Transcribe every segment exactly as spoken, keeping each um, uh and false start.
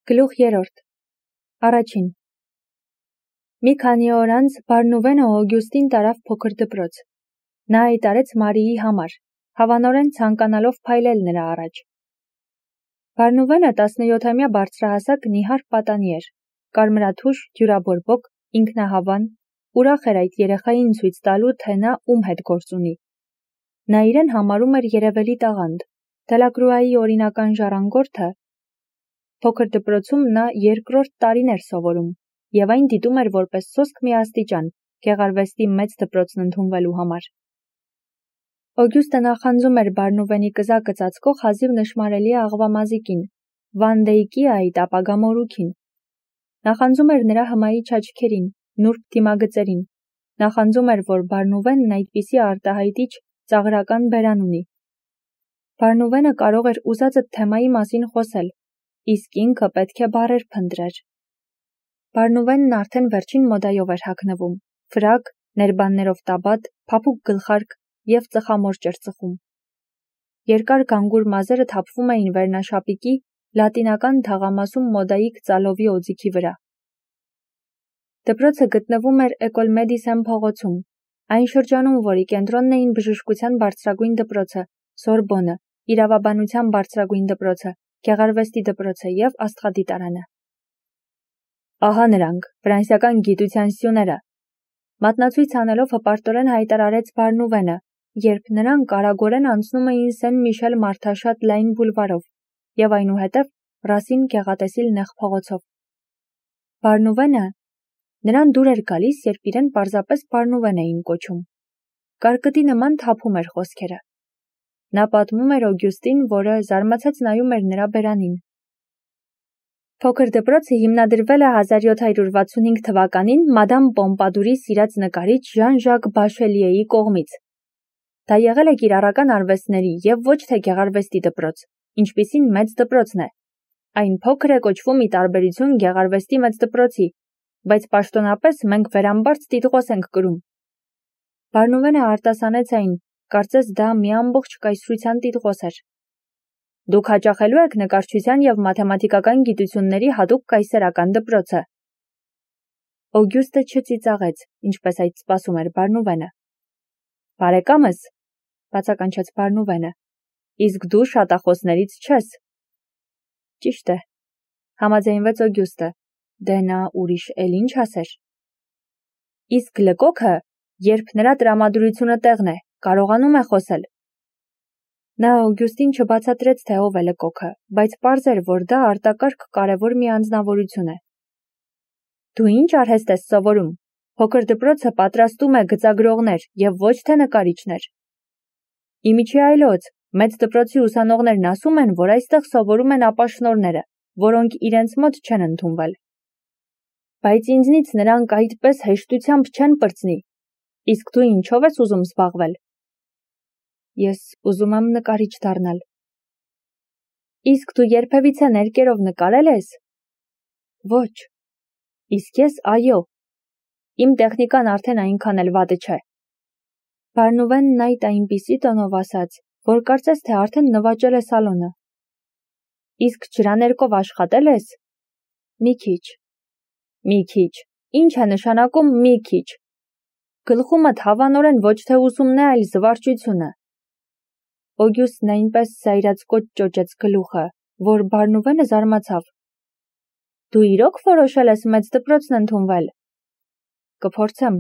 Գլուխ երրորդ Առաջին Մի քանի օր անց Բարնուվենը Օգյուստին տարավ փոքր դպրոց։ Նա հայտարարեց Մարիի համար, հավանորեն ցանկանալով փայլել նրա առաջ։ Բարնուվենը տասնյոթամյա բարձրահասակ նիհար պատանի էր, կարմրաթուշ, դյուրաբորբոք, ինքնահավան, ուրախ էր այդ երեխային ցույց տալու, թե նա ում հետ գործ ունի։ Նա իրեն համարում էր երևելի տաղանդ, Դելակրուայի օրինական ժառանգորդը։ Փոքր դպրոցում նա երկրորդ տարին էր սովորում, և այն դիտում էր որպես սոսկ մի աստիճան, գեղարվեստի մեծ դպրոցն ընդունվելու համար։ Օգյուստը նախանձում էր Բարնուվենի կզակը ծածկող հազիվ նշմարելի աղվամազիկին, Վան Դեյկի այդ ապագա մորուքին։ Նախանձում էր նրա հմայիչ աչքերին, նուրբ դիմագծերին։ Նախանձում էր, որ Բարնուվենն այդպիսի արտահայտիչ, ծաղրական բերան ունի։ Բարնուվենը կարող էր ուզածդ թեմայի մասին խոսել, իսկ ինքը պետք է բառեր փնտրեր։ Բարնուվենն արդեն վերջին մոդայով էր հագնվում, ֆրակ, ներբաններով տաբատ, փափուկ գլխարկ և ծխամորճ էր ծխում։ Երկար գանգուր մազերը թափվում էին վերնաշապիկի, լատինական թաղամասում մոդայիկ ծալովի օձիքի վրա։ Դպրոցը գտնվում էր Էկոլ Մեդիսեն փողոցում, այն շրջանում, որի կենտրոնն էին բժշկության բարձրագույն դպրոցը, Սորբոնը, իրավաբանության բարձրագույն դպրոցը, գեղարվեստի դպրոցը և աստղադիտարանը։ Ահա նրանք, ֆրանսիական գիտության սյուները, մատնացույց անելով հպարտորեն հայտարարեց Բարնուվենը, երբ նրանք արագորեն անցնում էին Սեն Միշել մարդաշատ լայն բուլվարով և այնուհետև Ռասին գեղատեսիլ նեղ փողոցով։ Բարնուվենը, նրան դուր էր գալիս, երբ իրեն պարզապես Բարնուվեն էին կոչում։ Կարկտի նման թափում էր խոսքերը։ Նա պատմում էր Օգյուստին, որը զարմացած նայում էր նրա բերանին։ Փոքր դպրոցը հիմնադրվել է հազար յոթ հարյուր վաթսունհինգ թվականին մադամ Պոմպադուրի սիրած նկարիչ Ժան-Ժակ Բաշելիեի կողմից։ Դա եղել է կիրառական արվեստների և ոչ թե գեղարվեստի դպրոց, ինչպիսին մեծ դպրոցն է։ Այն փոքր է կոչվում ի տարբերություն գեղարվեստի մեծ դպրոցի, բայց պաշտոնապես մենք վերամբարձ տիտղոս ենք կրում։ Բարնուվենը արտասանեց այն, կարծես դա մի ամբողջ կայսրության տիտղոս էր։ Դուք հաճախելու եք նկարչության և մաթեմատիկական գիտությունների հատուկ կայսերական դպրոցը։ Օգյուստը չծիծաղեց, ինչպես այդ սպասում էր Բարնուվենը։ Բարեկամս, բացականչեց Բարնուվենը, իսկ դու շատախոսներից չես։ Ճիշտ է, համաձայնվեց Օգյուստը, դե նա ուրիշ էլ ինչ ասեր։ Իսկ Լկոքը, երբ նրա տրամադրությունը տեղն է, կարողանում է խոսել։ Նա Օգյուստին չբացատրեց, թե ով է Լկոքը, բայց պարզ էր, որ դա արտակարգ կարևոր մի անձնավորություն է։ Դու ինչ արհեստ ես սովորում։ Փոքր դպրոցը պատրաստում է գծագրողներ և ոչ թե նկարիչներ։ Իմիջի այլոց, մեծ դպրոցի ուսանողներն ասում են, որ այստեղ սովորում են ապաշնորհները, որոնք իրենց մոտ չեն ընդունվել։ Բայց ինձնից նրանք այդպես հեշտությամբ չեն պրծնի։ Իսկ դու ինչով ես ուզում զբաղվել։ Ես ուզում եմ նկարիչ դառնալ։ Իսկ դու երբևիցե ներկերով նկարել ես։ Ոչ։ Իսկ ես այո։ Իմ տեխնիկան արդեն այնքան էլ վատը չէ։ Բարնուվենն այդ այնպիսի տոնով ասաց, որ կարծես թե արդեն նվաճել է սալոնը։ Իսկ ջրաներկով աշխատել ես։ Մի քիչ։ Մի քիչ։ Ինչ է նշանակում մի քիչ։ Գլխումդ հավանորեն ոչ թե ուսումն է, այլ զվարճությունը։ Օգյուստն այնպես զայրացկոտ ճոճեց գլուխը, որ Բարնուվենը զարմացավ։ Դու իրոք որոշել ես մեծ դպրոցն ընդունվել։ Կփորձեմ,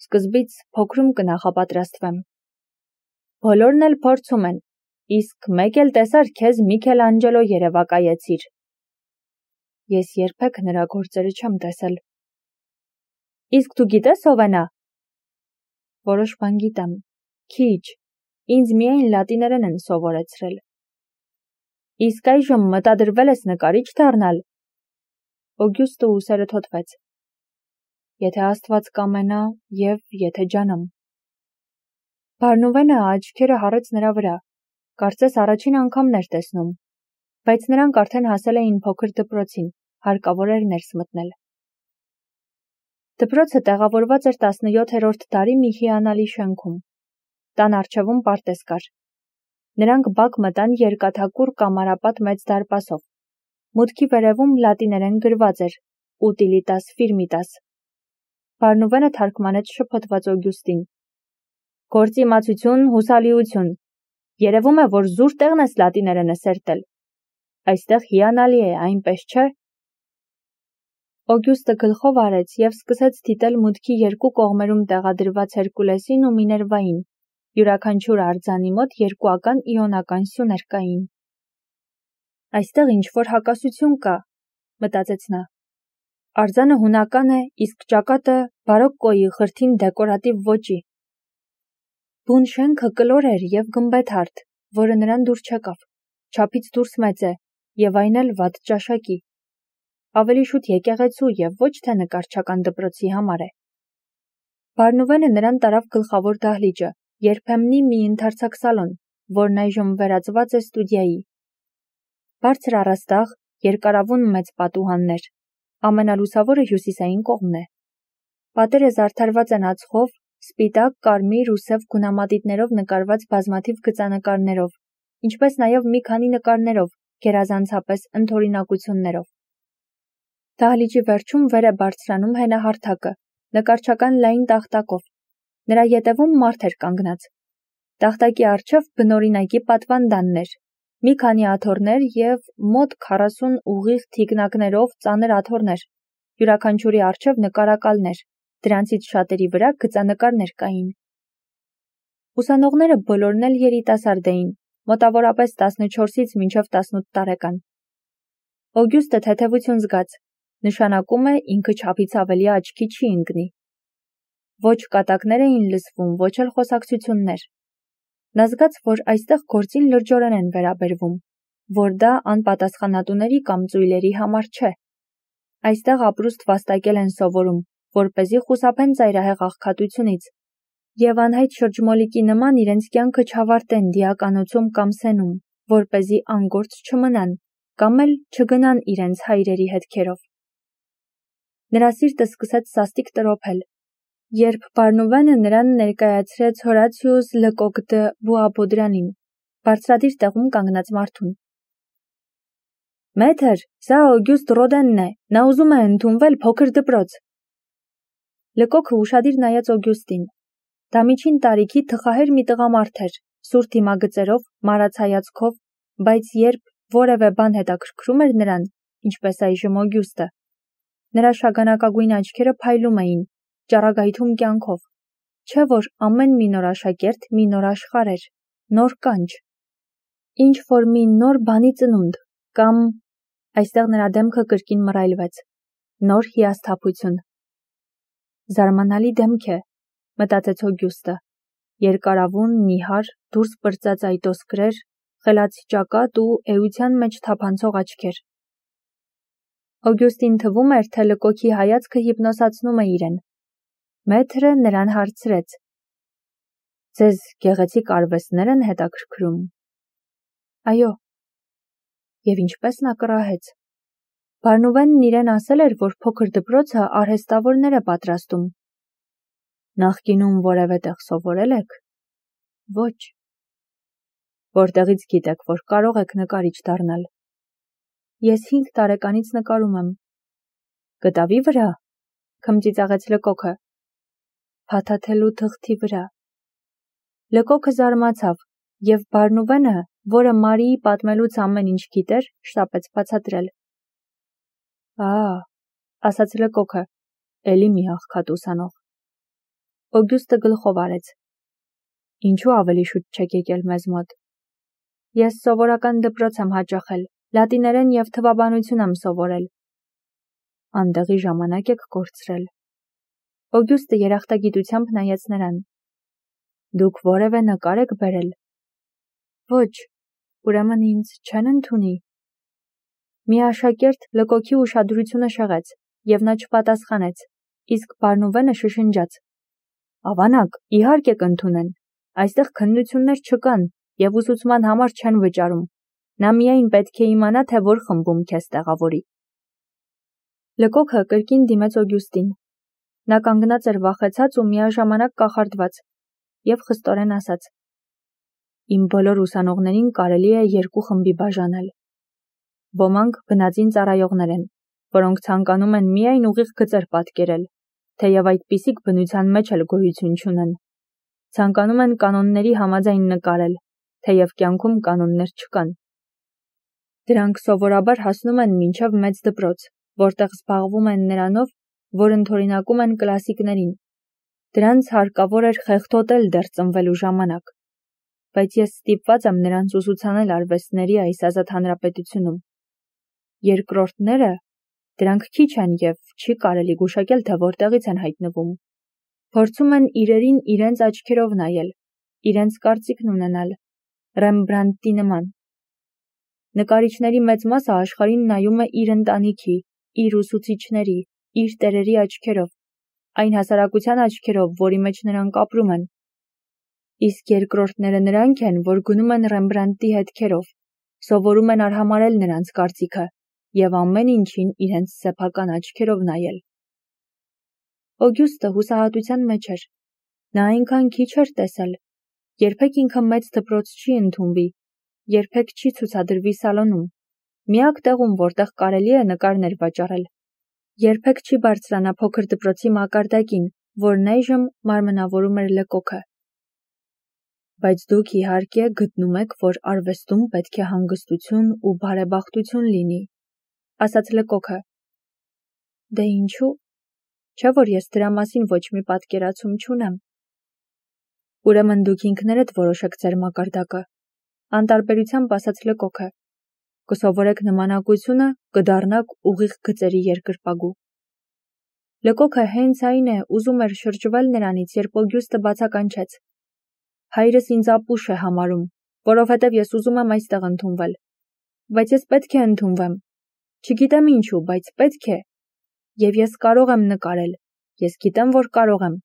սկզբից փոքրում կնախապատրաստվեմ։ Բոլորն էլ փորձում են, իսկ մեկ էլ տեսար քեզ Միքելանջելո երևակայեցիր։ Ես երբեք նրա գործերը չեմ տեսել։ Իսկ դու գիտես ով է նա։ Որոշ բան գիտեմ, քիչ, ինձ միայն լատիներեն են սովորեցրել։ Իսկ այժմ մտադրվել ես նկարիչ դառնալ։ Օգյուստը ուսերը թոթվեց։ Եթե Աստված կամենա և եթե ջանամ։ Բարնուվենը աչքերը հառեց նրա վրա, կարծես առաջին անգամն էր տեսնում, բայց նրանք արդեն հասել էին փոքր դպրոցին, հարկավոր էր ներս մտնել։ Դպրոցը տեղավորված էր տասնյոթերորդ դարի մի հիանալի շենքում։ Տան առջևում պարտեզ կար։ Նրանք բակ մտան երկաթակուռ կամարապատ մեծ դարպասով։ Մուտքի վերևում լատիներեն գրված էր «Utilitas firmitas»։ Բարնուվենը թարգմանեց շփոթված Օգյուստին։ Գործի իմացություն, հուսալիություն։ Երևում է, որ զուր տեղն ես լատիներենը սերտել։ Այստեղ հիանալի է, այնպես չէ։ Օգյուստը գլխով արեց և սկսեց դիտել մուտքի երկու կողմերում տեղադրված Հերկուլեսին ու Միներվային։ Յուրաքանչյուր արձանի մոտ երկուական իոնական սյուներ կային։ Այստեղ ինչ-որ հակասություն կա, մտածեց նա։ Արձանը հունական է, իսկ ճակատը բարոկկոյի խրթին դեկորատիվ ոճի։ Բուն շենքը կլոր էր և գմբեթարդ, որը նրան դուր չեկավ, չափից դուրս մեծ է, և այն էլ վատ ճաշակի։ Ավելի շուտ եկեղեցու և ոչ թե նկարչական դպրոցի համար է։ Բարնուվենը նրան տարավ գլխավոր դահլիճը, երբեմնի մի ընդարձակ սալոն, որն այժմ վերածված է ստուդիայի։ Բարձր առաստաղ, երկարավուն մեծ պատուհաններ, ամենալուսավորը հյուսիսային կողմն է։ Պատերը զարդարված են ածխով, սպիտակ, կարմիր ու սև գունամատիտներով նկարված բազմաթիվ գծանկարներով, ինչպես նաև մի քանի նկարներով, գերազանցապես ընդօրինակություններով։ Դահլիճի վերջում վեր է բարձրանում հենահարթակը, նկարչական լայն տախտակով։ Նրա ետևում մարդ էր կանգնած։ Տախտակի առջև բնօրինակի պատվանդաններ, մի քանի աթոռներ և մոտ քառասուն ուղիղ թիկնակներով ծանր աթոռներ, յուրաքանչյուրի առջև նկարակալներ, դրանցից շատերի վրա գծանկարներ կային։ Ուսանողները բոլորն էլ երիտասարդ էին, մոտավորապես տասնչորսից մինչև տասնութ տարեկան։ Օգյուստը թեթևություն զգաց, նշանակում է ինքը չափից ավելի աչքի չի ընկնի։ Ոչ կատակներ էին լսվում, ոչ էլ խոսակցություններ։ Նա զգաց, որ այստեղ գործին լրջորեն են վերաբերվում, որ դա անպատասխանատուների կամ ծույլերի համար չէ։ Այստեղ ապրուստ վաստակել են սովորում, որպեսզի խուսափեն ծայրահեղ աղքատությունից, և անհայտ շրջմոլիկի նման իրենց կյանքը չավարտեն դիականոցում կամ սենում, որպեսզի անգործ չմնան, կամ էլ չգնան իրենց հայրերի հետքերով։ Նրա սիրտը սկսեց սաստիկ տրոփել, երբ Բարնուվենը նրան ներկայացրեց Հորացիուս Լկոկ դը Բուաբոդրանին, բարձրադիր տեղում կանգնած մարդուն։ Մեթր, սա Օգյուստ Ռոդենն է, նա ուզում է ընդունվել փոքր դպրոց։ Լկոքը ուշադիր նայեց Օգյուստին։ Դա միջին տարիքի թխահեր մի տղամարդ էր, սուր դիմագծերով, մարած հայացքով, բայց երբ որևէ բան հետաքրքրում էր նրան, ինչպես այժմ Օգյուստը, նրա շագանակագույն աչքերը փայլում էին, ճառագայթում կյանքով, չէ որ ամեն մի նոր աշակերտ մի նոր աշխարհ էր, նոր կանչ, ինչ որ մի նոր բանի ծնունդ, կամ այստեղ նրա դեմքը կրկին մռայլվեց, նոր հիասթափություն։ Զարմանալի դեմք է, մտածեց Օգյուստը, երկարավուն, նիհար, դուրս պրծած այտոսկրեր, խելացի ճակատ ու էության մեջ թափանցող աչքեր։ Օգյուստին թվում էր, թե Լկոքի հայացքը հիպնոսացնում է իրեն։ Մեթրը նրան հարցրեց. Ձեզ գեղեցիկ արվեստներ են հետաքրքրում։ Այո։ Եվ ինչպես նա կռահեց։ Բարնուվենն իրեն ասել էր, որ փոքր դպրոցը արհեստավորներ է պատրաստում։ Նախկինում որևէ տեղ սովորել եք։ Ոչ։ Որտեղից գիտեք, որ կարող եք նկարիչ դառնալ։ Ես հինգ տարեկանից նկարում եմ։ Գտավի վրա, քմծիծաղեց Լկոքը։ Փաթաթելու թղթի վրա։ Լկոքը զարմացավ, և Բարնուվենը, որը Մարիի պատմելուց ամեն ինչ գիտեր, շտապեց բացատրել։ Ա, ասաց Լկոքը, էլի մի աղքատ ուսանող։ Օգյուստը գլխով արեց։ Ինչու ավելի շուտ չեք եկել մեզ մոտ։ Ես սովորական դպրոց եմ հաճախել, լատիներեն և թվաբանություն եմ սովորել։ Անդեղի ժամանակ եք կորցրել։ Օգյուստը երախտագիտությամբ նայեց նրան։ Դուք որևէ նկար եք բերել։ Ոչ, ուրեմն ինձ չեն ընդունի։ Մի աշակերտ Լկոքի ուշադրությունը շեղեց, և նա չպատասխանեց, իսկ Բարնուվենը շշնջաց. Ավանակ, իհարկե կընդունեն։ Այստեղ քննություններ չկան և ուսուցման համար չեն վճարում։ Նա միայն պետք է իմանա, թե որ խմբում քեզ տեղավորի։ Լկոքը կրկին դիմեց Օգյուստին։ Նա կանգնած էր վախեցած ու միաժամանակ կախարդված, և խստորեն ասաց. Իմ բոլոր ուսանողներին կարելի է երկու խմբի բաժանել։ Ոմանք բնածին ծառայողներ են, որոնք ցանկանում են միայն ուղիղ գծեր պատկերել, թեև այդպիսիք բնության մեջ էլ գոյություն չունեն։ Ցանկանում են կանոնների համաձայն նկարել, թեև կյանքում կանոններ չկան։ Դրանք սովորաբար հասնում են մինչև մեծ դպրոց, որտեղ զբաղվում են նրանով, որ ընդօրինակում են կլասիկներին։ Դրանց հարկավոր էր խեղդոտել դեռ ծնվելու ժամանակ, բայց ես ստիպված եմ նրանց ուսուցանել արվեստների այս ազատ հանրապետությունում։ Երկրորդները, դրանք քիչ են և չի կարելի գուշակել, թե որտեղից են հայտնվում։ Փորձում են իրերին իրենց աչքերով նայել, իրենց կարծիքն ունենալ, Ռեմբրանդտի նման։ Նկարիչների մեծ մասը աշխարհին նայում է իր ընտանիքի, իր ուսուցիչների, իր տերերի աչքերով, այն հասարակության աչքերով, որի մեջ նրանք ապրում են։ Իսկ երկրորդները նրանք են, որ գնում են Ռեմբրանդտի հետքերով, սովորում են արհամարհել նրանց կարծիքը և ամեն ինչին իրենց սեփական աչքերով նայել։ Օգյուստը հուսահատության մեջ էր։ Նա այնքան քիչ էր տեսել, երբեք ինքը մեծ դպրոց չի ընդունվի, երբեք չի ցուցադրվի սալոնում, միակ տեղում, որտեղ կարելի է նկարներ վաճառել, երբեք չի բարձրանա փոքր դպրոցի մակարդակին, որն այժմ մարմնավորում էր Լեկոքը։ Բայց դուք իհարկե գտնում եք, որ արվեստում պետք է հանգստություն ու բարեբախտություն լինի, ասաց Լեկոքը։ Դե ինչու՞, չէ՞ որ ես դրա մասին ոչ մի պատկերացում չունեմ։ Ուրեմն դուք ինքներդ որոշեք ձեր մակարդակը, անտարբերությամբ ասաց Լեկոքը։ Կսովորեք նմանակությունը, կդառնաք ուղիղ գծերի երկրպագու։ Լեկոքը հենց այն է, ուզում էր շրջվել նրանից, երբ Օգյուստը բացականչեց. Հայրս ինձ ապուշ է համարում, որովհետև ես ուզում եմ այստեղ ընդունվել։ Բայց ես պետք է ընդունվեմ։ Չգիտեմ ինչու, բայց պետք է։ Եվ ես կարող եմ նկարել, ես գիտեմ, որ կարող եմ։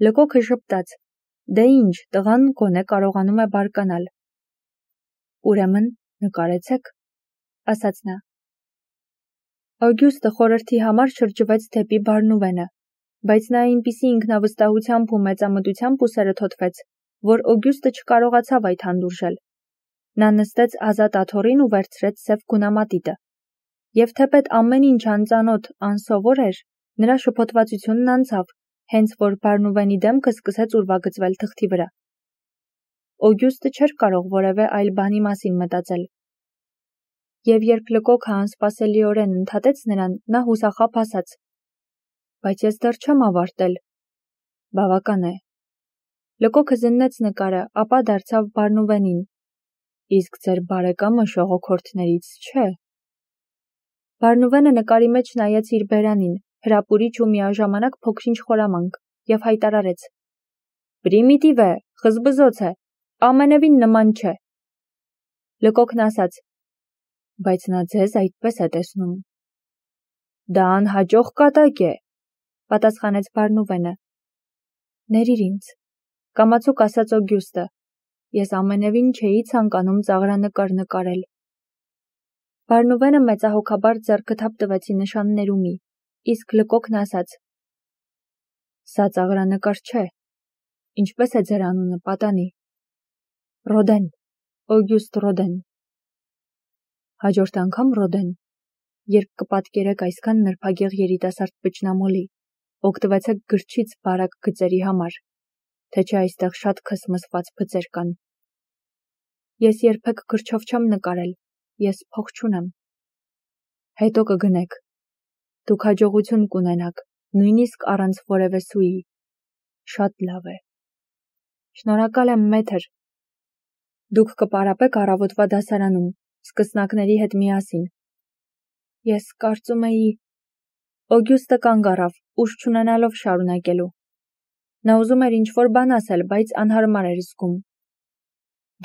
Լեկոքը ժպտաց. Դե ինչ, տղան գոնե կարողանում է բարկանալ։ Ուրեմն նկարեցեք, ասաց նա։ Օգյուստը խորհրդի համար շրջվեց դեպի Բարնուվենը, բայց նա այնպիսի ինքնավստահությամբ ու մեծամտությամբ ուսերը թոթվեց, որ Օգյուստը չկարողացավ այդ հանդուրժել։ Նա նստեց ազատ աթոռին ու վերցրեց սև գունամատիտը։ Եվ թեպետ ամեն ինչ անծանոթ, անսովոր էր, նրա շփոթվածությունն անցավ, հենց որ Բարնուվենի դեմքը սկսեց ուրվագծվել թղթի վրա։ Օգյուստը չէր կարող որևէ այլ բանի մասին մտածել։ Եվ երբ Լեկոքը անսպասելիորեն ընդհատեց նրան, նա հուսախաբ ասաց. Բայց ես դեռ չեմ ավարտել։ Բավական է։ Լեկոքը զննեց նկարը, ապա դարձավ Բարնուվենին։ Իսկ ձեր բարեկամը շողոքորթներից չէ։ Բարնուվենը նկարի մեջ նայեց իր բերանին, հրապուրիչ ու միաժամանակ փոքրինչ խորամանկ, և հայտարարեց. Պրիմիտիվ է, խզբզոց է, ամենևին նման չէ։ Լեկոքն ասաց. Բայց նա ձեզ այդպես է տեսնում։ Դա անհաջող կատակ է, պատասխանեց Բարնուվենը։ Ներիր ինձ, կամացուկ ասաց Օգյուստը, ես ամենևին չէի ցանկանում ծաղրանկար նկարել։ Բարնուվենը մեծահոգաբար ձեռքը թափ տվեցի նշաններումի, իսկ Լեկոքն ասաց. Սա ծաղրանկար չէ։ Ինչպես է ձեր անունը, պատանի։ Ռոդեն, Օգյուստ Ռոդեն։ Հաջորդ անգամ Ռոդեն, երբ կպատկերեք այսքան նրբագեղ երիտասարդ բջնամոլի, օգտվեցեք գրչից բարակ գծերի համար, թե չէ այստեղ շատ քսմսված բծեր կան։ Ես երբեք գրչով չեմ նկարել, ես փող չունեմ։ Հետո կգնեք։ Դուք հաջողություն կունենաք, նույնիսկ առանց որևէ սուի։ Շատ լավ է։ Շնորհակալ եմ, մեթր։ Դուք կպարապեք առավոտվա դասարանում, սկսնակների հետ միասին։ Ես կարծում էի… Օգյուստը կանգ առավ, ուժ չունենալով շարունակելու։ Նա ուզում էր ինչ-որ բան ասել, բայց անհարմար էր զգում։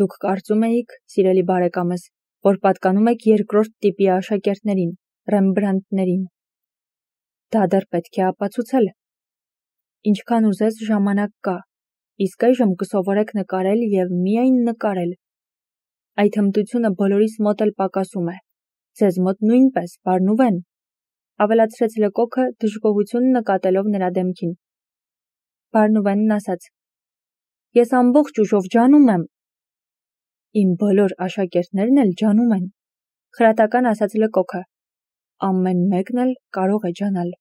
Դուք կարծում էիք, սիրելի բարեկամս, որ պատկանում եք երկրորդ տիպի աշակերտներին, Ռեմբրանդտներին։ Դա դեռ պետք է ապացուցել։ Ինչքան ուզես ժամանակ կա, իսկ այժմ կսովորեք նկարել և միայն նկարել։ Այդ հմտությունը բոլորիս մոտ էլ պակասում է։ Ձեզ մոտ նույնպես, Բարնուվեն, ավելացրեց Լեկոքը, դժգոհություն նկատելով նրա դեմքին։ Բարնուվենն ասաց. Ես ամբողջ ուժով ջանում եմ։ Իմ բոլոր աշակերտներն էլ ջանում են, Խրատական ասաց Լկոքը։ Ամեն մեկն էլ կարող է ջանալ։